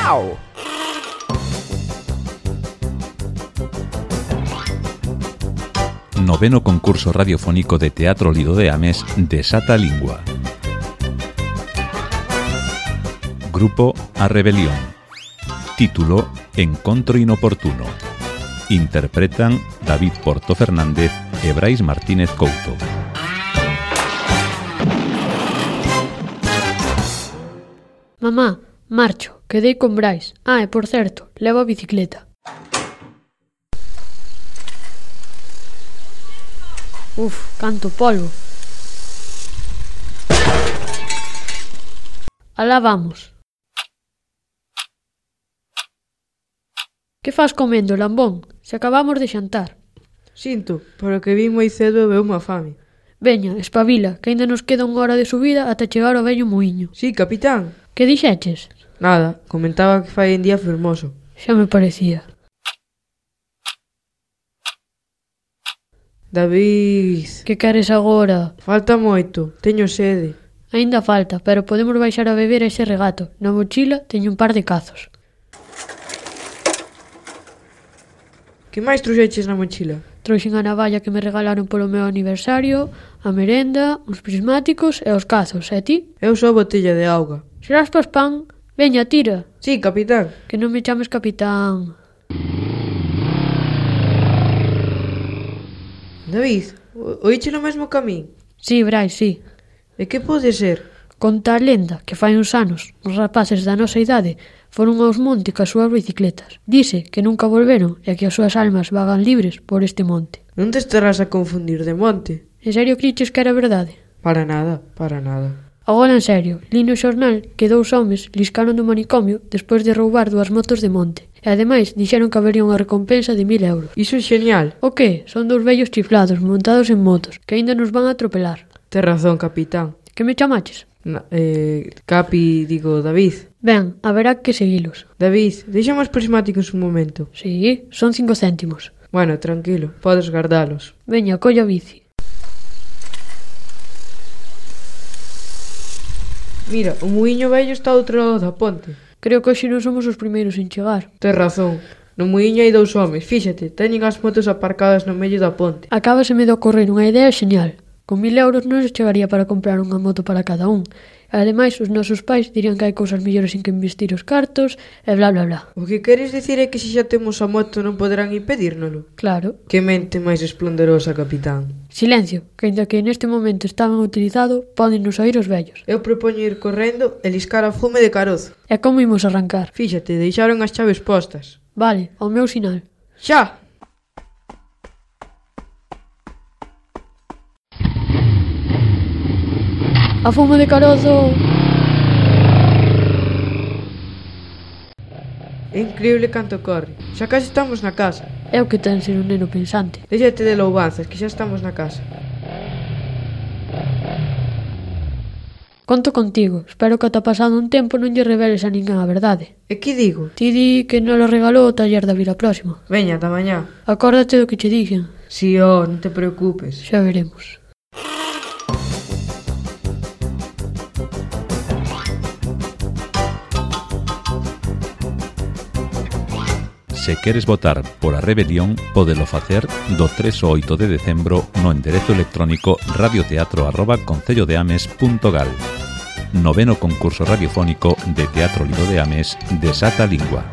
Miau. Noveno concurso radiofónico de Teatro Lido de Ames Desata a Lingua. Grupo A Rebelión. Título Encontro inoportuno. Interpretan David Porto Fernández e Brais Martínez Couto. Mamá, marcho, quedei con Brais. E por certo, levo a bicicleta. Canto polvo. Alá vamos. Que fas comendo, lambón? Se acabamos de xantar. Sinto, pero que vin moi cedo e veu unha fame. Veña, espabila, que aínda nos queda unha hora de subida ata chegar ao vello muiño. Sí, capitán. Que dixeches? Nada, comentaba que fai un día fermoso. Xa me parecía. David... Que queres agora? Falta moito, teño sede. Aínda falta, pero podemos baixar a beber a ese regato. Na mochila teño un par de cazos. Que máis trouxeches na mochila? Trouxen a navalla que me regalaron polo meu aniversario, a merenda, uns prismáticos e os cazos. E ti? Eu só botella de auga. Serás pas pan? Veña, tira. Sí, capitán. Que non me chames capitán. David, oíche no mesmo camín? Sí, Brais, sí. E que pode ser? Conta a lenda que fai uns anos os rapaces da nosa idade foron aos monte cas súas bicicletas. Dice que nunca volveron e que as súas almas vagan libres por este monte. Non te estarás a confundir de monte? En serio criches que era verdade? Para nada, para nada. Agora en serio, li no xornal que 2 homes liscaron do manicomio despois de roubar 2 motos de monte. E ademais dixeron que habería unha recompensa de 1000 euros. Iso é genial. O que? Son 2 vellos chiflados montados en motos que aínda nos van a atropelar. Tes razón, capitán. Que me chamaches? Capi, digo, David. Ben, haberá que seguilos. David, deixame os prismáticos un momento. Sí, son 5 céntimos. Bueno, tranquilo, podes guardalos. Veña, colla a bici. Mira, o muiño vello está ao outro lado da ponte. Creo que hoxe non somos os primeiros en chegar. Tes razón. No muiño hai 2 homes, fíxate, teñen as motos aparcadas no medio da ponte. Acábaseme de ocorrer unha idea xenial. Con 1000 euros non se chegaría para comprar unha moto para cada un. E ademais, os nosos pais dirían que hai cousas mellores en que investir os cartos e bla bla bla. O que queres dicir é que se xa temos a moto non poderán impedírnolo? Claro. Que mente máis esplendorosa, capitán. Silencio, que ainda que neste momento estaban utilizado, poden nos oír os vellos. Eu propoño ir correndo e liscar a fume de carozo. E como imos arrancar? Fíxate, deixaron as chaves postas. Vale, ao meu sinal. Xa! A fume de carozo! É increíble canto corre. Xa case estamos na casa. É o que ten ser un neno pensante. Déxate de loubanzas, que xa estamos na casa. Conto contigo. Espero que ata pasado un tempo non lle reveles a ninguén a verdade. E que digo? Ti di que non lo regalou o taller da vila próxima. Veña, ata mañá. Acórdate do que che dixen. Si, non te preocupes. Xa veremos. Se queres votar por A Rebelión, pódelo facer do 3 ao 8 de decembro no enderezo electrónico radioteatro@concellodeames.gal. Noveno concurso radiofónico de Teatro Lido de Ames Desata a Lingua.